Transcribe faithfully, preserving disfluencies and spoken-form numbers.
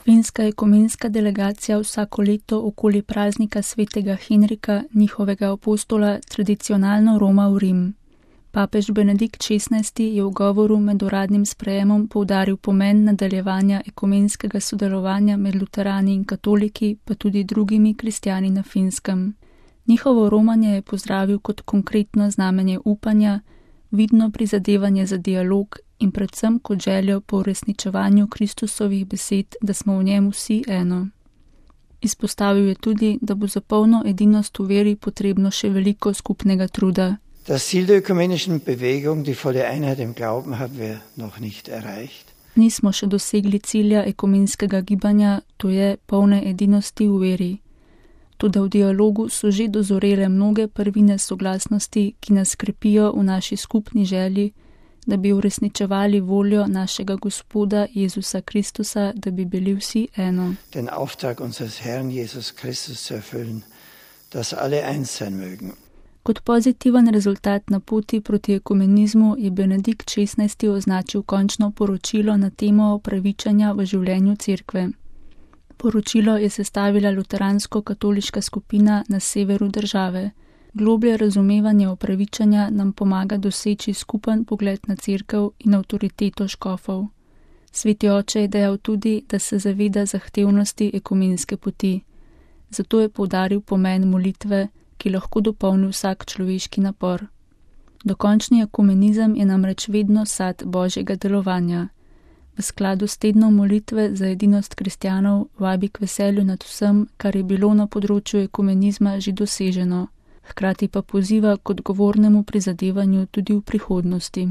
Finska ekumenska delegacija vsako leto okoli praznika svetega Henrika, njihovega apostola, tradicionalno roma v Rim. Papež Benedikt šestnajsti je v govoru med uradnim sprejemom poudaril pomen nadaljevanja ekumenskega sodelovanja med luterani in katoliki, pa tudi drugimi kristjani na Finskem. Njihovo romanje je pozdravil kot konkretno znamenje upanja, vidno prizadevanje za dialog in predvsem kot željo po uresničevanju Kristusovih besed, da smo v njem vsi eno. Izpostavil je tudi, da bo za polno edinost v veri potrebno še veliko skupnega truda. Das Ziel der ökumenischen Bewegung, die volle Einheit im Glauben, haben wir noch nicht erreicht. Nismo še dosegli cilja ekumenskega gibanja, to je polne edinosti v veri. Toda v dialogu so že dozorele mnoge prvine soglasnosti, ki nas krepijo v naši skupni želji, da bi uresničevali voljo našega Gospoda Jezusa Kristusa, da bi bili vsi eno. Den Auftrag unseres Herrn Jesus Christus zu erfüllen, dass alle eins sein mögen. Kot pozitiven rezultat na poti proti ekumenizmu je Benedikt šestnajsti označil končno poročilo na temo opravičanja v življenju cerkve. Poročilo je sestavila luteransko-katoliška skupina na severu države. Globlje razumevanje opravičanja nam pomaga doseči skupen pogled na cerkev in avtoriteto škofov. Sveti oče je dejal tudi, da se zaveda zahtevnosti ekumenske poti. Zato je poudaril pomen molitve, ki lahko dopolni vsak človeški napor. Dokončni ekumenizem je namreč vedno sad Božjega delovanja. V skladu s tednom molitve za edinost kristjanov vabi k veselju nad vsem, kar je bilo na področju ekumenizma že doseženo, hkrati pa poziva k odgovornemu prizadevanju tudi v prihodnosti.